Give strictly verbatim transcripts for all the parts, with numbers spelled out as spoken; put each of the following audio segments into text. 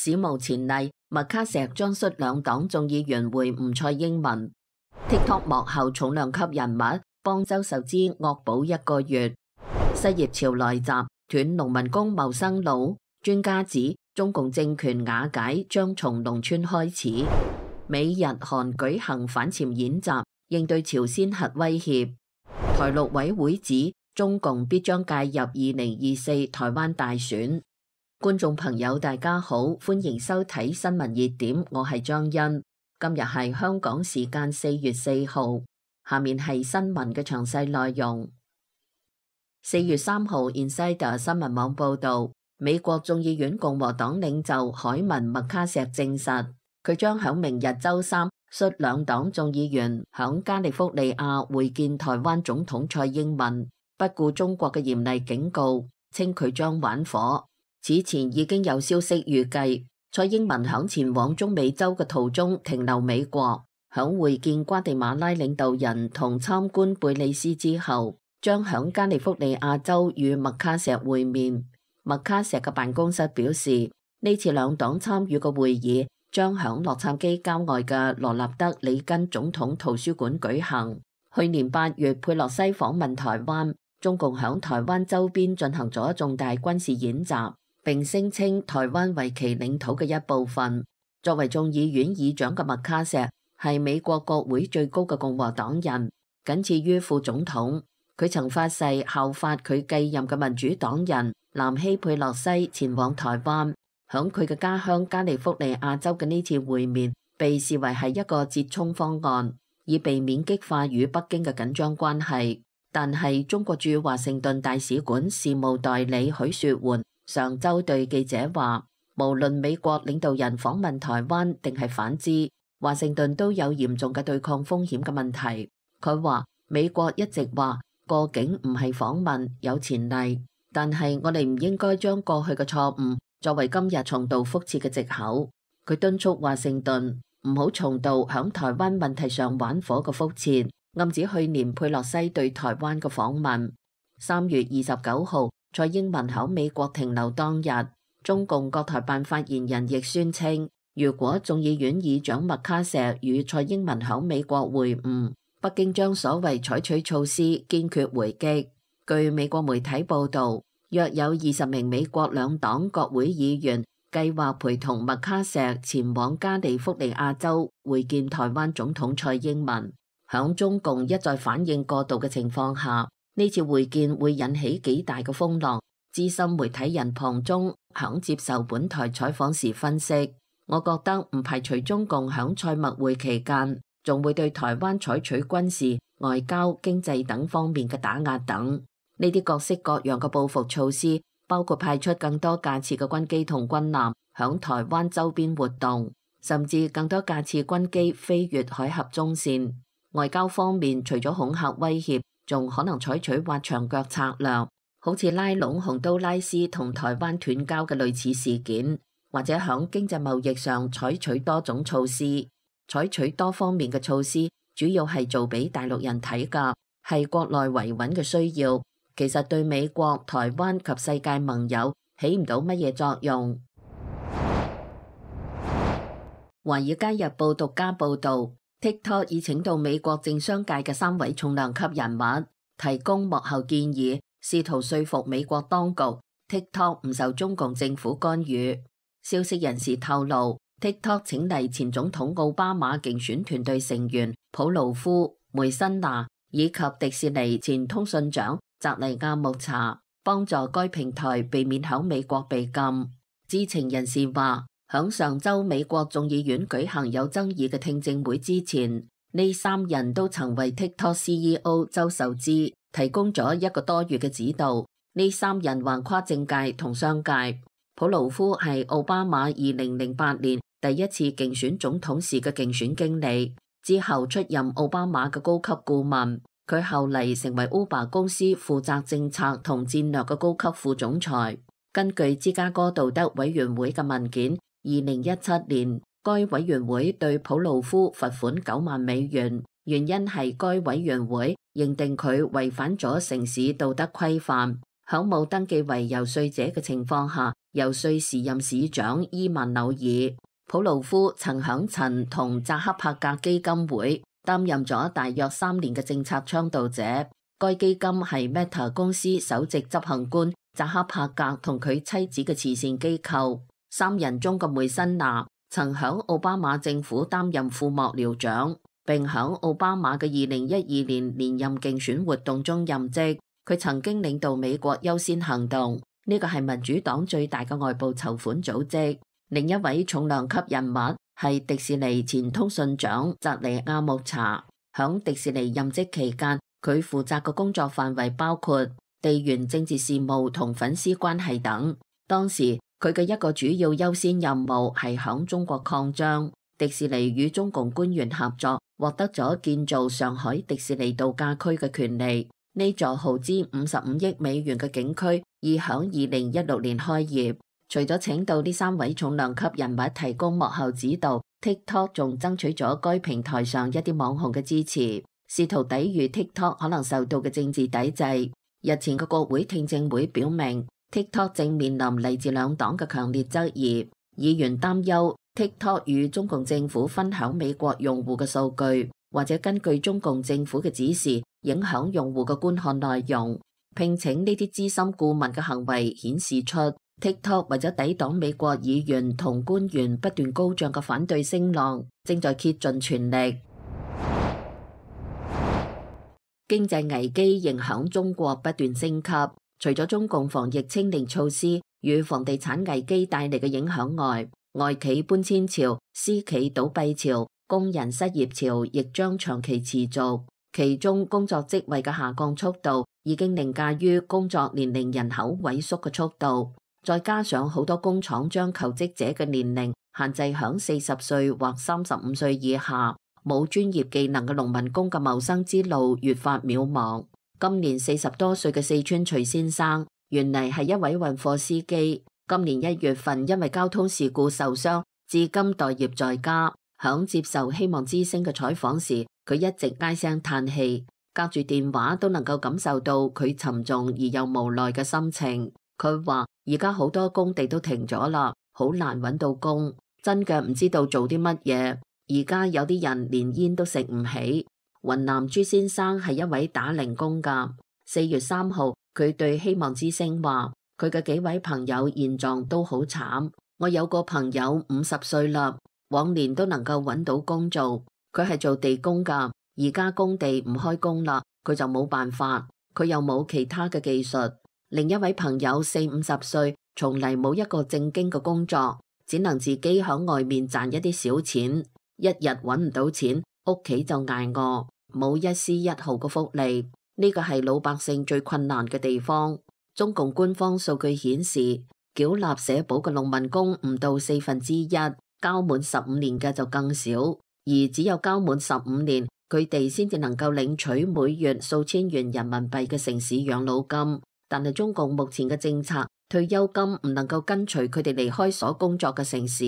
史無前例，麥卡錫將率兩黨眾議員會晤蔡英文。TikTok 幕後重量級人物幫周受資惡補一個月。失業潮來襲，斷農民工謀生路。專家指中共政權瓦解將從農村開始。美日韓舉行反潛演習，應對朝鮮核威脅。台陸委會指中共必將介入二零二四台灣大選。觀眾朋友大家好，歡迎收睇新聞熱點，我係張欣。今日係香港時間四月四號，下面係新聞嘅詳細內容。四月三號 Insider 新聞網報道，美國眾議院共和黨領袖凱文麥卡錫證實，佢將響明日周三率兩黨眾議員響加利福尼亞會見台灣總統蔡英文，不顧中國嘅嚴厲警告，稱佢將玩火。此前已經有消息預計，蔡英文響前往中美洲嘅途中停留美國，響會見瓜地馬拉領導人同參觀貝里斯之後，將響加利福尼亞州與麥卡錫會面。麥卡錫嘅辦公室表示，呢次兩黨參與嘅會議將響洛杉磯郊外嘅羅納德里根總統圖書館舉行。去年八月，佩洛西訪問台灣，中共響台灣周邊進行咗重大軍事演習，並聲稱台灣為其領土嘅一部分。作為眾議院議長嘅麥卡錫係美國國會最高嘅共和黨人，僅次於副總統。佢曾發誓效法佢繼任嘅民主黨人南希佩洛西前往台灣。響佢嘅家鄉加利福尼亞州嘅呢次會面被視為係一個折衷方案，以避免激化與北京嘅緊張關係。但係中國駐華盛頓大使館事務代理許雪媛上週對記者話，無論美國領導人訪問台灣定係反之，華盛頓都有嚴重嘅對抗風險嘅問題。佢話美國一直話過境唔係訪問，有前例，但係我哋唔應該將過去嘅錯誤作為今日重蹈覆轍嘅藉口。佢敦促華盛頓唔好重蹈響台灣問題上玩火嘅覆轍，暗指去年佩洛西對台灣嘅訪問。三月二十九號，蔡英文喺美國停留當日，中共國台辦發言人亦宣稱，如果眾議院議長麥卡錫與蔡英文喺美國會晤，北京將所謂採取措施堅決回擊。據美國媒體報導，約有二十名美國兩黨國會議員計劃陪同麥卡錫前往加利福尼亞州會見台灣總統蔡英文。響中共一再反應過度嘅情況下，呢次會見會引起幾大嘅風浪。資深媒體人龐中響接受本台採訪時分析，我覺得唔排除中共響蔡麥會期間仲會對台灣採取軍事、外交、經濟等方面嘅打壓等。呢啲各式各樣嘅報復措施，包括派出更多架次嘅軍機同軍艦響台灣周邊活動，甚至更多架次軍機飛越海峽中線。外交方面，除咗恐嚇威脅，仲可能採取挖牆腳策略，好似拉攏洪都拉斯同台灣斷交嘅類似事件，或者響經濟貿易上採取多種措施。採取多方面嘅措施，主要係做俾大陸人睇㗎，係國內維穩嘅需要。其實對美國、台灣及世界盟友起唔到乜嘢作用。華爾街日報獨家報導，TikTok 已請到美國政商界嘅三位重量級人物，提供幕後建議，試圖說服美國當局 TikTok 唔受中共政府干預。消息人士透露，TikTok 請嚟前總統奧巴馬競選團隊成員普魯夫、梅辛娜以及迪士尼前通訊長澤尼亞穆查，幫助該平台避免響美國被禁。知情人士話，響上週美國眾議院舉行有爭議嘅聽證會之前，呢三人都曾為 TikTok C E O 周受資提供咗一個多月嘅指導。呢三人橫跨政界同商界。普魯夫係奧巴馬二零零八年第一次競選總統時嘅競選經理，之後出任奧巴馬嘅高級顧問。佢後嚟成為 Uber 公司負責政策同戰略嘅高級副總裁。根據芝加哥道德委員會嘅文件，二零一七年該委員會對普魯夫罰款九萬美元，原因係該委員會認定佢違反咗城市道德規範，響冇登記為遊說者嘅情況下，游說時任市長伊曼紐爾。普魯夫曾響陳同扎克伯格基金會擔任咗大約三年嘅政策倡導者。該基金係 Meta 公司首席執行官扎克伯格同佢妻子嘅慈善機構。三人中嘅梅辛娜曾響奧巴馬政府擔任副幕僚長，並響奧巴馬嘅二零一二年連任競選活動中任職。佢曾經領導美國優先行動，呢個係民主黨最大嘅外部籌款組織。另一位重量級人物係迪士尼前通訊長澤尼亞穆查。響迪士尼任職期間，佢負責嘅工作範圍包括地緣政治事務同粉絲關係等。當時佢嘅一個主要優先任務係響中國擴張。迪士尼與中共官員合作，獲得咗建造上海迪士尼度假區嘅權利。呢座耗資五十五億美元嘅景區已響二零一六年開業。除咗請到呢三位重量級人物提供幕後指導， TikTok 仲爭取咗該平台上一啲網紅嘅支持，試圖抵禦 TikTok 可能受到嘅政治抵制。日前嘅國會聽證會表明， TikTok 正面臨嚟自兩黨嘅強烈質疑。議員擔憂 TikTok 與中共政府分享美國用戶嘅數據，或者根據中共政府嘅指示影響用戶嘅觀看內容。聘請呢啲資深顧問嘅行為顯示出 TikTok 為咗抵擋美國議員同官員不斷高漲嘅反對聲浪，正在竭盡全力。經濟危機仍響中國不斷升級，除咗中共防疫清零措施與房地產危機帶嚟嘅影響外，外企搬遷潮、私企倒閉潮、工人失業潮亦將長期持續。其中工作職位嘅下降速度已經凌駕於工作年齡人口萎縮嘅速度。再加上好多工廠將求職者嘅年齡限制響四十歲或三十五歲以下，冇專業技能嘅農民工嘅謀生之路越發渺茫。今年四十多歲嘅四川徐先生，原嚟係一位運貨司機，今年一月份因為交通事故受傷，至今待業在家。響接受希望之聲嘅採訪時，佢一直唉聲嘆氣，隔住電話都能夠感受到佢沉重而又無奈嘅心情。佢話而家好多工地都停咗啦，好難揾到工，真嘅唔知道做啲乜嘢。而家有啲人連煙都食唔起。雲南朱先生係一位打零工㗎。四月三號，佢對希望之聲話，佢嘅幾位朋友現狀都好慘。我有個朋友五十歲啦，往年都能夠揾到工做，佢係做地工㗎。而家工地唔開工啦，佢就冇辦法，佢又冇其他嘅技術。另一位朋友四五十歲，從嚟冇一個正經嘅工作，只能自己響外面賺一啲小錢，一日揾唔到錢，屋企就捱餓，冇一絲一毫嘅福利。呢個係老百姓最困難嘅地方。中共官方數據顯示，繳納社保嘅農民工唔到四分之一，交滿十五年嘅就更少，而只有交滿十五年，佢哋先至能夠領取每月數千元人民幣嘅城市養老金。但係中共目前嘅政策，退休金唔能夠跟隨佢哋離開所工作嘅城市，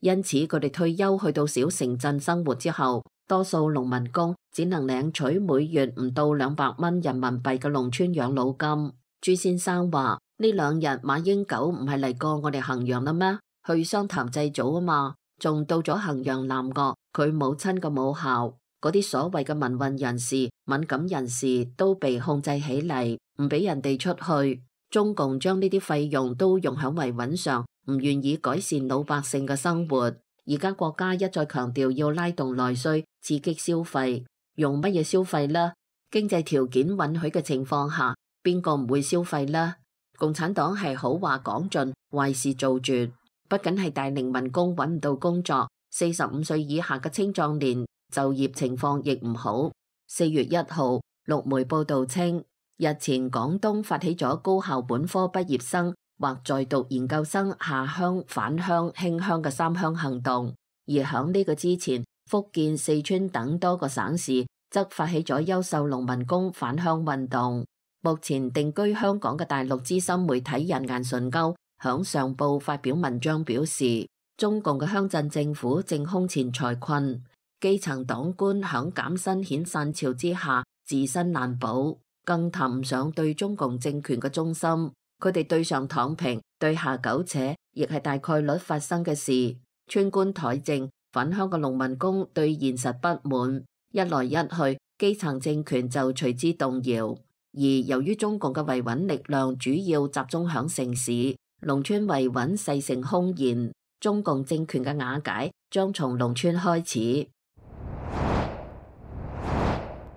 因此佢哋退休去到小城鎮生活之後，多數農民工只能領取每月唔到兩百蚊人民幣嘅農村養老金。朱先生話：呢兩日馬英九唔係嚟過我哋衡陽啦咩？去湘潭祭祖啊嘛，仲到咗衡陽南岳佢母親嘅母校。嗰啲所謂嘅民運人士、敏感人士都被控制起嚟，唔俾人哋出去。中共將呢啲費用都用喺維穩上，唔願意改善老百姓嘅生活。而家國家一再強調要拉動內需，刺激消費，用乜嘢消費呢？經濟條件允許嘅情況下，邊個唔會消費呢？共產黨係好話講盡，壞事做絕。不僅係大齡民工揾唔到工作，四十五歲以下嘅青壯年就業情況亦唔好。四月一號，陸媒報道稱，日前廣東發起咗高校本科畢業生或在讀研究生下鄉返鄉興鄉嘅三鄉行動，而響呢個之前，福建、四川等多個省市則發起咗優秀農民工返鄉運動。目前定居香港嘅大陸資深媒體人顏純鈎響上報發表文章表示，中共嘅鄉鎮政府正空前財困，基層黨官響減薪遣散潮之下自身難保，更談唔上對中共政權嘅忠心。佢哋對上躺平，對下苟且，亦係大概率發生嘅事。村官怠政，返鄉嘅農民工對現實不滿，一來一去，基層政權就隨之動搖。而由於中共嘅維穩力量主要集中響城市，農村維穩勢成空前，中共政權嘅瓦解將從農村開始。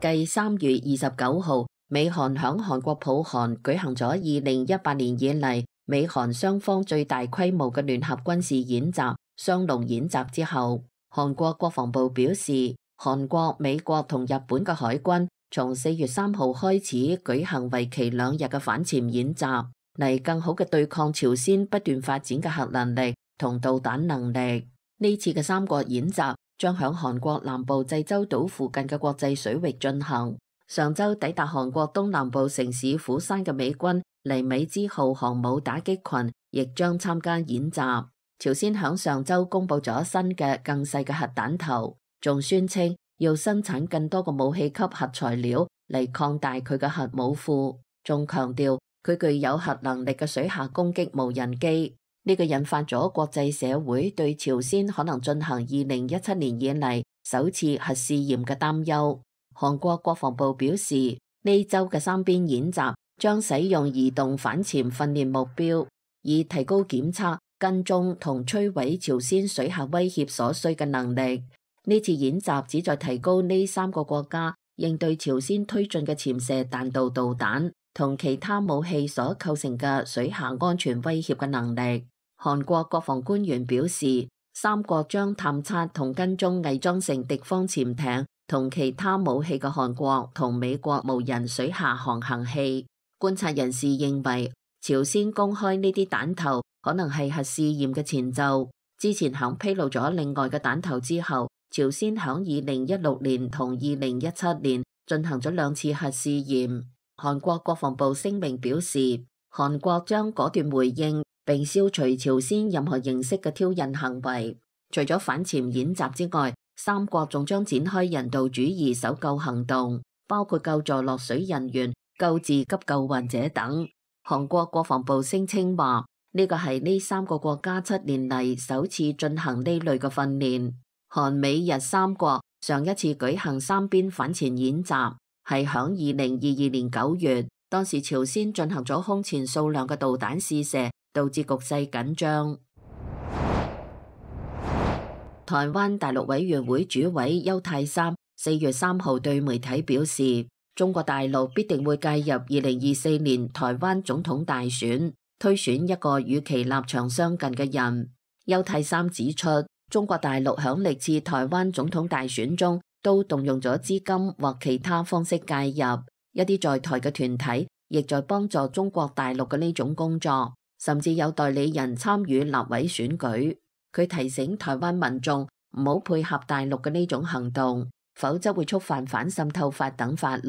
繼三月二十九號，美韓響韓國浦項舉行咗二零一八年以嚟美韓雙方最大規模嘅聯合軍事演習雙龍演習之後，韓國國防部表示，韓國、美國同日本嘅海軍從四月三號開始舉行為期兩日嘅反潛演習，嚟更好嘅對抗朝鮮不斷發展嘅核能力同導彈能力。呢次嘅三國演習將響韓國南部濟州島附近嘅國際水域進行。上周抵達韓國東南部城市釜山嘅美軍黎米茲號航母打擊群亦將參加演習。朝鮮響上周公布咗新嘅更細嘅核彈頭，仲宣稱要生產更多嘅武器級核材料嚟擴大佢嘅核武庫，仲強調佢具有核能力嘅水下攻擊無人機。呢個引發咗國際社會對朝鮮可能進行二零一七年以嚟首次核試驗嘅擔憂。韓國國防部表示，呢周嘅三邊演習將使用移動反潛訓練目標，以提高檢測、跟蹤同摧毀朝鮮水下威脅所需嘅能力。呢次演習旨在提高呢三個國家應對朝鮮推進嘅潛射彈道導彈同其他武器所構成嘅水下安全威脅嘅能力。韓國國防官員表示，三國將探測同跟蹤偽裝成敵方潛艇同其他武器嘅韓國同美國無人水下航行器。觀察人士認為，朝鮮公開呢啲彈頭可能係核試驗嘅前奏。之前響披露咗另外嘅彈頭之後，朝鮮響二零一六年同二零一七年進行咗兩次核試驗。韓國國防部聲明表示，韓國將果斷回應並消除朝鮮任何形式嘅挑釁行為。除咗反潛演習之外，三國仲將展開人道主義搜救行動，包括救助落水人員、救治急救患者等。韓國國防部聲稱話，呢個係呢三個國家七年嚟首次進行呢類嘅訓練。韓美日三國上一次舉行三邊反潛演習係響二零二二年九月，當時朝鮮進行咗空前數量嘅導彈試射，導致局勢緊張。台灣大陸委員會主委邱太三四月三號對媒體表示，中國大陸必定會介入二零二四年台灣總統大選，推選一個與其立場相近嘅人。邱太三指出，中國大陸響歷次台灣總統大選中都動用咗資金或其他方式介入，一啲在台嘅團體亦在幫助中國大陸嘅呢種工作，甚至有代理人參與立委選舉。佢提醒台灣民眾唔好配合大陸嘅呢種行動，否則會觸犯反滲透法等法律。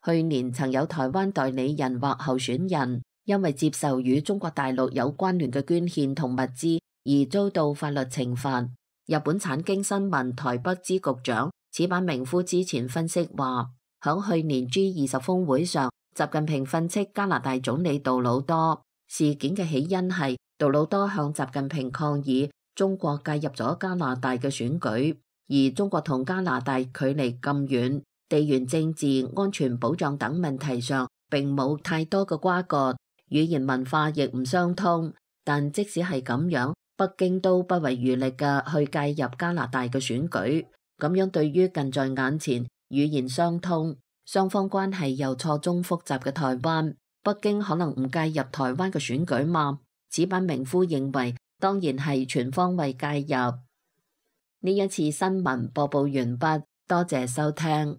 去年曾有台灣代理人或候選人因為接受與中國大陸有關聯嘅捐獻同物資而遭到法律懲罰。日本產經新聞台北支局長矢板明夫之前分析話，響去年 G 二十峰會上，習近平訓斥加拿大總理杜魯多。事件嘅起因係杜魯多向習近平抗議中國介入咗加拿大嘅選舉，而中國同加拿大距離咁遠，地緣政治、安全保障等問題上並冇太多嘅瓜葛，語言文化亦唔相通。但即使係咁樣，北京都不遺餘力嘅去介入加拿大嘅選舉，咁樣對於近在眼前、語言相通、雙方關係又錯綜複雜嘅台灣，北京可能唔介入台灣嘅選舉嗎？矢板明夫認為，當然係全方位介入。呢一次新聞播報完畢，多謝收聽。